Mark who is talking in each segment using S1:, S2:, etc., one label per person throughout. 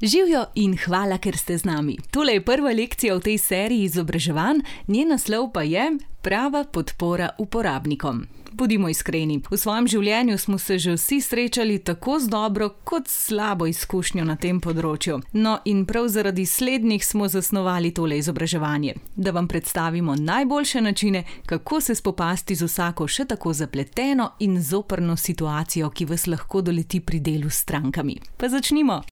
S1: Živjo in hvala, ker ste z nami. Tole je prva lekcija v tej seriji izobraževanj, njen naslov pa je Prava podpora uporabnikom. Bodimo iskreni, v svojem življenju smo se že vsi srečali tako z dobro kot s slabo izkušnjo na tem področju. No in prav zaradi slednjih smo zasnovali tole izobraževanje, da vam predstavimo najboljše načine, kako se spopasti z vsako še tako zapleteno in zoprno situacijo, ki vas lahko doleti pri delu s strankami. Pa začnimo!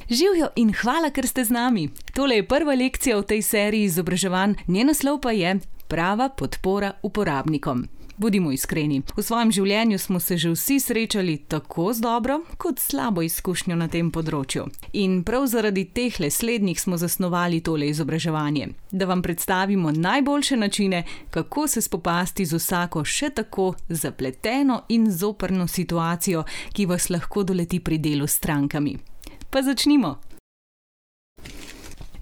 S1: Živjo in hvala, ker ste z nami. Tole je prva lekcija v tej seriji izobraževanj, njen naslov pa je Prava podpora uporabnikom. Bodimo iskreni, v svojem življenju smo se že vsi srečali tako z dobro kot slabo izkušnjo na tem področju. In prav zaradi tehle slednjih smo zasnovali tole izobraževanje, da vam predstavimo najboljše načine, kako se spopasti z vsako še tako zapleteno in zoprno situacijo, ki vas lahko doleti pri delu s strankami. Pa začnimo!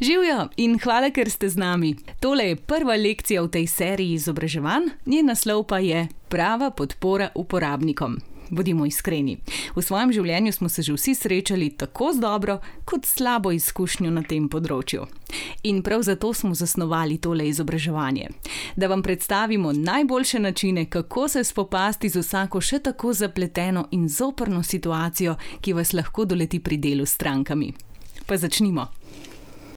S1: Živjo in hvala, ker ste z nami. Tole je prva lekcija v tej seriji izobraževanj, njen naslov pa je Prava podpora uporabnikom. Bodimo iskreni, v svojem življenju smo se že vsi srečali tako z dobro kot slabo izkušnjo na tem področju. In prav zato smo zasnovali tole izobraževanje, da vam predstavimo najboljše načine, kako se spopasti z vsako še tako zapleteno in zoprno situacijo, ki vas lahko doleti pri delu s strankami. Pa začnimo!